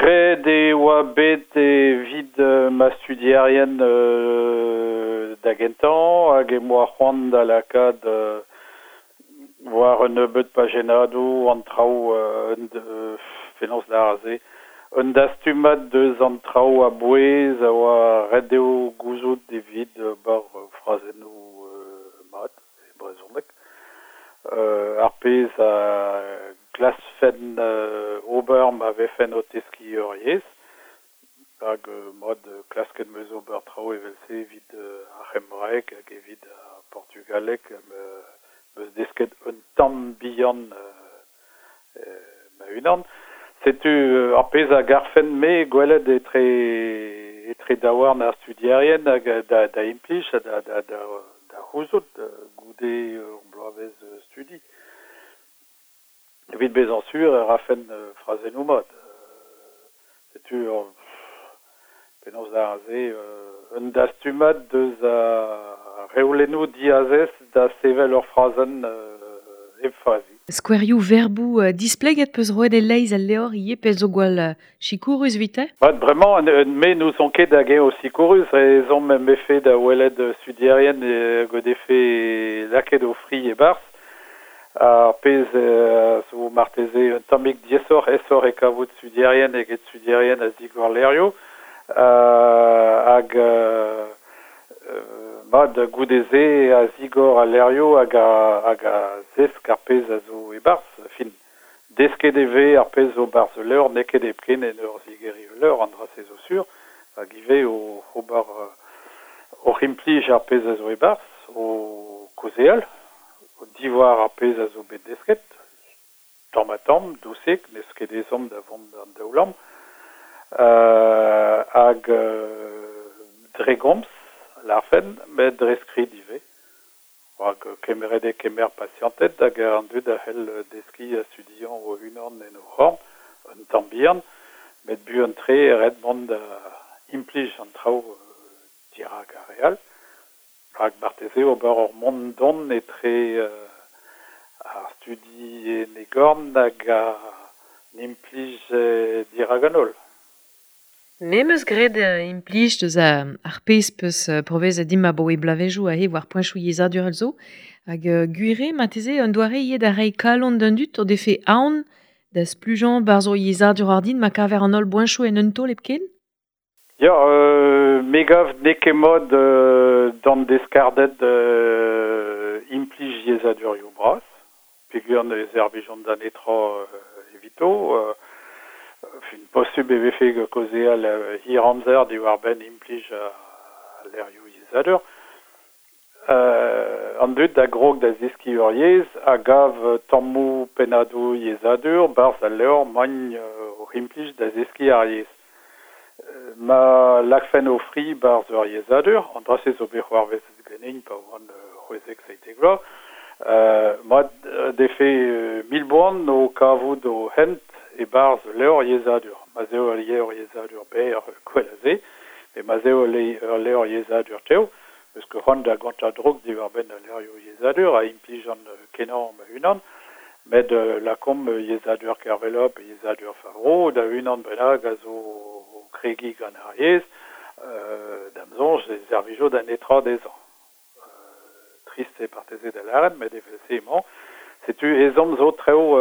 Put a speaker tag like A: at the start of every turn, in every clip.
A: Graet e oa bet evit ma studierien da gentañ hag em boa c'hoant da lakaat war un nebeud pajennadoù an traoù penaos lâr aze un dastumad deus an traoù a-bouez a oa ret dezho gouzout evit ober frazennoù mat e brezhoneg. Ar pezh a glaskfen ober ma vefen o teskiñ ur yezh hag mat klasket 'm eus ober traoù evel-se evit ar c'hembraeg hag evit ar portugaleg 'm eus desket un tamm bihan ma-unan. Setu ar pezh a garfen-me gwelet etre etre daouarn ar studierien hag da da implij ha da da da c'houzout goude ur bloavezh studi. Evit bezañ sur e rafen frazennoù mat. Setu penaos lâr se un dastumad deus ar reolennoù diazez da sevel ur frazenn hep fazi.
B: Skouerioù verboù displeget 'peus roet e-leizh al levr ivez pezh zo gwall sikourus evite?
A: Mat, bremañ me n'ouzon ket hag-eñ eo sikourus, ezhomm em befe da welet studierien hag o defe lakaet o fri e-barzh. Ar pezh a zo marteze un tammig diaesoc'h, aesoc'h eo kavout studierien eget studierien a zigor levrioù hag mat goude-se a zigor al levrioù hag a hag a zesk ar pezh a zo e-barzh. Fin, desket e vez ar pezh zo 'barzh ul levr, n'eo ket hepken en ur zigeriñ ul levr, an dra-se zo sur, hag ivez oc'h ober oc'h implij ar pezh a zo e-barzh, o kaozeal. Diwar ar pezh a zo bet desket, tamm-ha-tamm, dousik, n'eus ket ezhomm da vont d'an daoulamm, hag dre gomz, lârfen, met dre skrid ivez. Rak kemeret eo kemer pasianted hag an dud a c'hell deskiñ ha studiañ o-unan en o c'horn, un tamm bihan, met buan-tre eo ret mont da implij an traoù dirak ar re all. Rak marteze ober ur mont-dont etre ar studi en e gorn hag an implij dirak an holl.
B: Me 'm eus graet implij deus ar pezh 'peus pourvezet dimp abaoe bloavezhioù aze war poentoù yezhadurel zo. Hag gwir eo marteze un doare ivez da reiñ kalon d'an dud o defe aon da splujañ 'barzh o yezhadur ordin ma kaver an holl boentoù en un taol hepken?
A: Ya, me gav n'eo ket mat d'an deskarded implij yezhadurioù bras, peogwir ne servijont da netra evito. Fin, posubl e vefe kaozeal hir amzer diwar-benn implij al levrioù yezhadur. An dud a grog da zeskiñ ur yezh a gav tammoù pennadoù yezhadur 'barzh al levr 'maint oc'h implij da zeskiñ ar yezh. Ma lakfen o fri 'barzh ur yezhadur, an dra-se zo bet c'hoarvezet ganin pa oan 16-17 vloaz, mat 'defe mil boan o kavout o hent e-barzh ul levr yezhadur. Ma'z eo ul levr yezhadur berr gwell a se, met ma'z eo ul levr yezhadur tev, 'meus ket c'hoant da gontañ droug diwar-benn al levrioù yezhadur a implijan kenañ ma-unan, met lakaomp yezhadur Kervella pe yezhadur Favereau da unan bennak a zo o kregiñ gant ar yezh, da'm soñj e servijo da netra dezhañ. Trist eo marteze da lâret, met evel-se emañ. Setu ezhomm zo traoù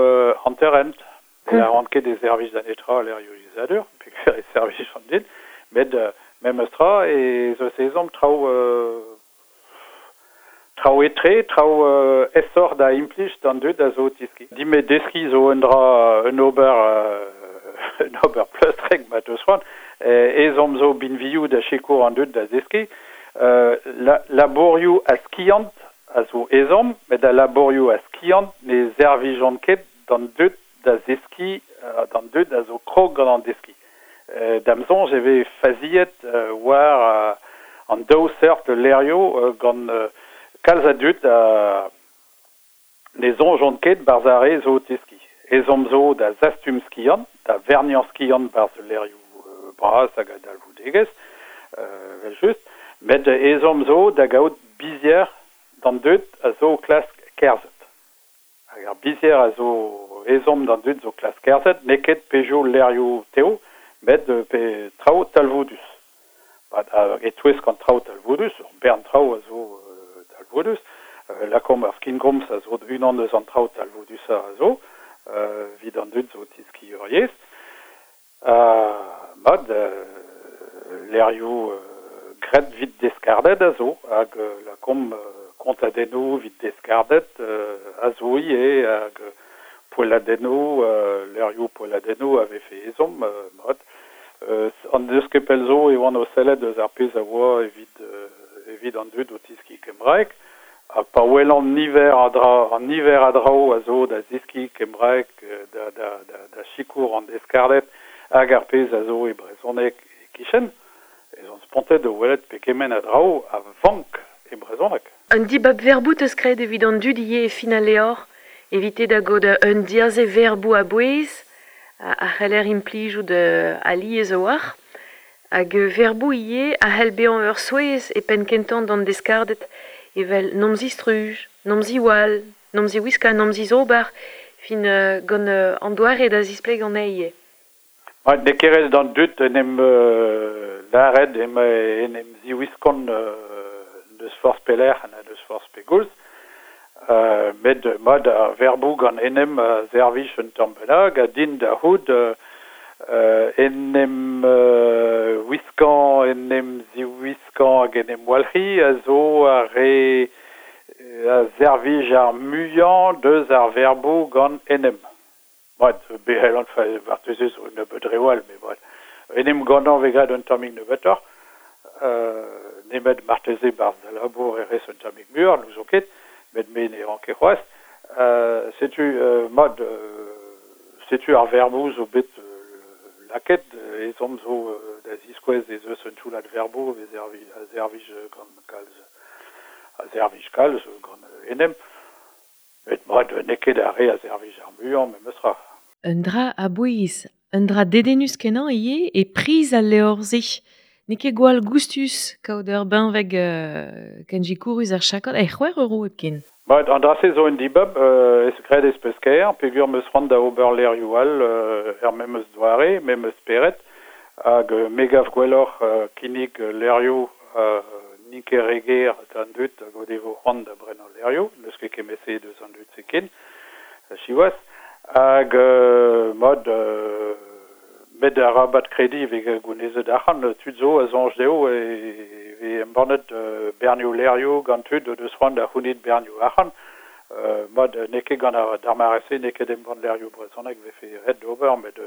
A: hanter-hent. Ne lâran ket e servij da netra al levrioù yezhadur, peogwir e servijont din, met memes tra ez eus ezhomm traoù traoù etre, traoù aesoc'h da implij d'an dud a zo o teskiñ. Din-me deskiñ zo un dra un ober un ober pleustrek ma 'teus c'hoant. Ezhomm zo binvioù da sikour an dud da zeskiñ. Labourioù a skiant a zo ezhomm, met al labourioù a skiant ne servijont ket d'an dud da zeskiñ, d'an dud a zo krog gant an deskiñ. Da'm soñj e vez faziet war an daou seurt levrioù gant kalz a dud a ne soñjont ket 'barzh ar re zo o teskiñ. Ezhomm zo da zastum skiant, da verniañ skiant 'barzh levrioù bras hag a dalvoudegezh, evel-just, met ezhomm zo da gaout bizhier d'an dud a zo o klask kerzhet. Hag ar bizhier a zo ezhomm d'an dud zo klask kerzhet n'eo ket pezhioù levrioù tev, met pe traoù talvoudus. Hag e-touesk an traoù talvoudus, ur bern traoù a zo talvoudus, lakaomp ar skingomz a zo unan eus an traoù talvoudusañ a zo, evit an dud zo o teskiñ ur yezh. Mat, levrioù graet evit deskarded a zo, hag lakaomp kontadennoù evit deskarded a zo ivez, hag poelladennoù, levrioù poelladennoù a vefe ezhomm, mat. An deus ket pell zo e oan o sellet eus ar pezh a oa evit evit an dud o teskiñ kembraeg, ha pa welan niver a dra, an niver a draoù a zo da zeskiñ kembraeg da, da, da, da sikour an deskarded hag ar pezh a zo e brezhoneg e-kichen, ez on spontet o welet pegement a draoù a vank e brezhoneg.
B: Un dibab verboù 'teus graet evit an dud ivez e fin al levr, evite da gaout un diaze verboù a-bouez a c'heller implijout alies a-walc'h, hag verboù ivez a c'hell bezañ ur souezh e penn-kentañ d'an deskarded, evel n'omp zistruj, n'omp ziwall, n'omp ziwiskañ, n'omp zizober, fin gant an doare da zisplegañ anezhe ivez.
A: N'eo ket ret d'an dud en em lâret en em ziwiskont n'eus forzh pelec'h ha n'eus forzh pegoulz. Met mat ar verboù gant en em a servij un tamm bennak ha din da c'hoût en em wiskañ, en em ziwiskañ hag en em walc'hiñ a zo ar re a servij ar muiañ deus ar verboù gant en em. Mat, be c'hellan marteze zo un nebeud reoù all, met mat. En em gannañ vez graet un tammig nebeutoc'h, nemet marteze 'barzh da labour e rez un tammig muioc'h, n'ouzon ket, met me ne ran ket c'hoazh. Setu mat, setu ar verboù zo bet lakaet, ezhomm zo da ziskouez ez eus un toullad verboù a servij gant kalz, a servij kalz gant en em. Met mat, n'eo ket ar re a servij ar muiañ memes tra.
B: Un dra a-bouez, un dra dedennus-kenañ ivez e priz al levr-se. N'eo ket gwall goustus kaout ur benveg ken sikourus ar chakod, e c'hwec'h euro hepken.
A: Mat, an dra-se zo un dibab, graet ez peus kaer, peogwir 'm eus c'hoant da ober levrioù all er memes doare, memes spered, hag me gav gwelloc'h kinnig levrioù n'int ket re ger d'an dud hag o devo c'hoant da brenañ levrioù, n'eus ket kement-se deus an dud-se ken, siwazh. Hag mat, met arabat krediñ e vez gounezet arc'hant, tud zo a soñj dezho e vez embannet bernioù levrioù gant tud o deus c'hoant da c'hounit bernioù arc'hant. Mat, n'eo ket gant ar d'ar mare-se n'eo ket embann levrioù brezhonek 'vefe ret d'ober, met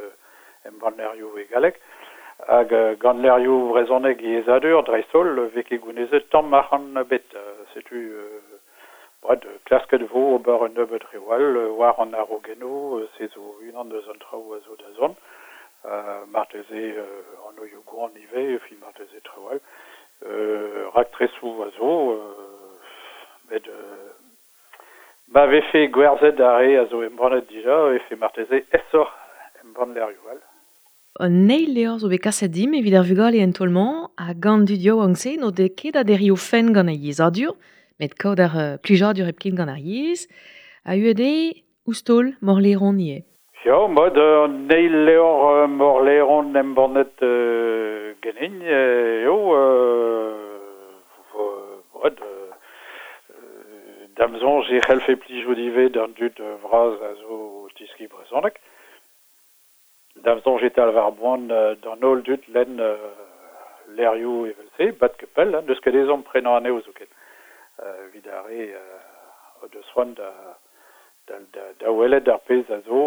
A: embann levrioù e galleg. Hag gant levrioù brezhonek yezhadur, dreist-holl, 'vez ket gounezet tamm arc'hant ebet. Setu mat, klasket 'vo ober un nebeud reoù all war an arogennoù, se zo unan eus an traoù a zo da zont. Marteze anvioù gwan ivez, fin marteze traoù all. Raktresoù a zo, met ma vefe gwerzhet ar re a zo embannet dija, e vefe marteze aesoc'h embann levrioù all.
B: An eil levr zo bet kaset dimp evit ar vugale en taol-mañ, ha gant dud yaouank-se n'o dez ket da derriñ o fenn gant ar yezhadur, met kaout ar plijadur hepken gant ar yezh, a UED ouzh taol Morleron ivez.
A: Ya, mat, an eil levr Morleron embannet ganin eo, mat, da'm soñj e c'hellfe plijout ivez d'an dud vras a zo o teskiñ brezhoneg. Da'm soñj e talv ar boan d'an holl dud lenn levrioù evel-se, bat ket pell, n'eus ket ezhomm prenañ anezho zoken. Evit ar re o deus c'hoant da, da, da, da welet ar pezh a zo,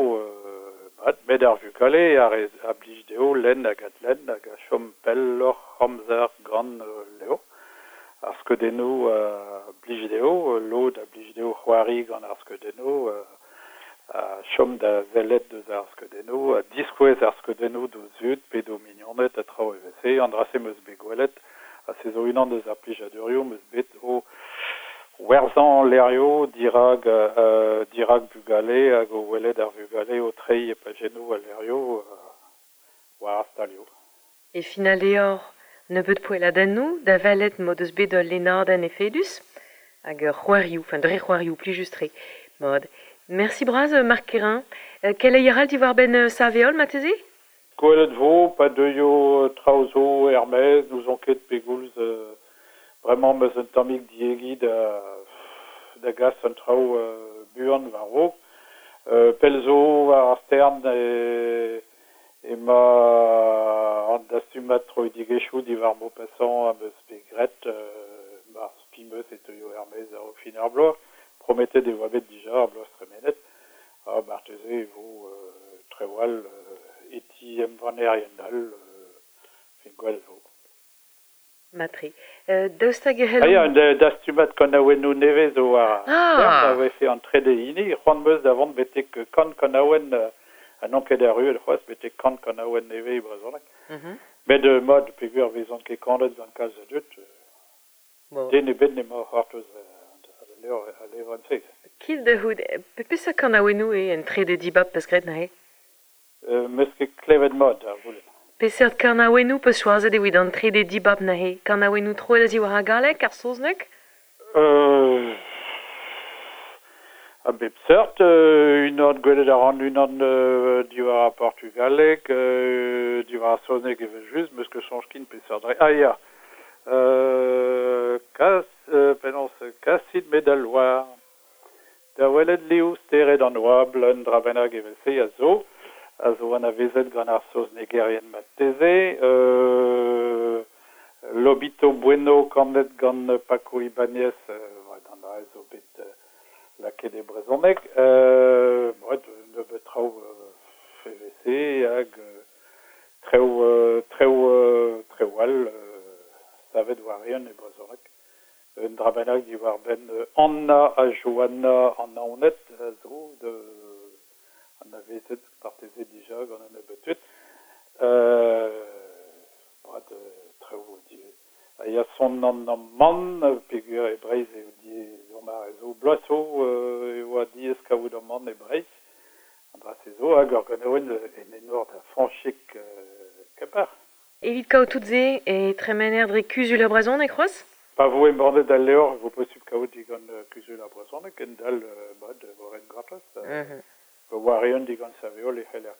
A: mat, met ar vugale a, re, a blij dezho lenn hag adlenn hag a chom pelloc'h amzer gant levr. Ar skeudennoù a blij dezho, lod a blij dezho c'hoari gant ar skeudennoù, a chom da sellet deus ar skeudennoù, a diskouez ar skeudennoù d'o zud pe d'o mignoned ha traoù evel-se. An dra-se 'm eus bet gwelet, ha se zo unan deus ar plijadurioù 'm eus bet o werzhañ levrioù dirak, dirak bugale hag o welet ar vugale o treiñ e pajennoù al levrioù war ar stalioù.
B: E fin al levr, nebeut poelladennoù da welet m'o deus bet ul lennadenn efedus hag c'hoarioù, enfin dre c'hoarioù plijus-tre. Mat. Merci bras, Marc Kerrain. Keleier all diwar-benn Saveol, marteze?
A: Gwelet vo, pa deuio traoù zo er-maez, n'ouzon ket pegoulz bremañ 'm eus un tammig diegi da gas an traoù buan war-raok. Pell zo war ar stern emañ an dastumad troidigezhioù diwar Maupassant am eus bet graet mar spi 'm eus e teuio er-maez a-raok fin ar bloaz. Prometet e oa bet dija ar bloaz tremenet ha marteze e vo traoù all e ti embannerien all fin gwell vo.
B: Mat-tre. Daoust hag e c'hellomp...
A: Ah ya, un dastumad kanaouennoù nevez zo war ar a vefe an trede hini. C'hoant 'm eus da vont betek kant kanaouenn ha n'on ket erruet c'hoazh betek kant kanaouenn nevez e brezhoneg. Met mat, peogwir 'vezont ket kanet gant kalz a dud, den ebet n'emañ o c'hortoz al levrenn-se.
B: Kit da c'hoût, peseurt kanaouennoù eo en trede dibab 'peus graet neuze?
A: 'M eus ket klevet mat ar goulenn.
B: Peseurt kanaouennoù 'peus choazet evit an trede dibab neuze? Kanaouennoù troet a-ziwar ar galleg, ar saozneg?
A: A bep seurt, unan gwelet a ran unan diwar ar portugaleg, diwar ar saozneg evel-just, 'meus ket soñj ken peseurt dre. Ah ya, kas penaos kasit me d'al loar da welet liv stered an oabl, un dra bennak evel-se a zo. A zo anavezet gant ar saoznegerien marteze. Lobito Bueno kanet gant Paco Ibáñez, an dra zo bet lakaet e brezhoneg. Nebeut traoù evel-se hag traoù traoù traoù all savet war-eeun e brezhoneg. Un dra bennak diwar-benn Anna ha Joanna an Naoned a zo anavezet marteze dija gant un nebeud tud. Mat traoù a ya son an amann peogwir e Breizh eo diaes mare zo bloaz zo e oa diaes kaout amann e Breizh. An dra-se zo hag ur ganaouenn en enor da Fañchig Kemper.
B: Evit kaout tout se e tremener dre Kuzul ar Brezhoneg c'hoazh?
A: Pa vo embannet al levr e vo posupl kaout digant Kuzul ar Brezhoneg, kendal mat e vo ret gortoz. War-eeun digant Saveol e c'heller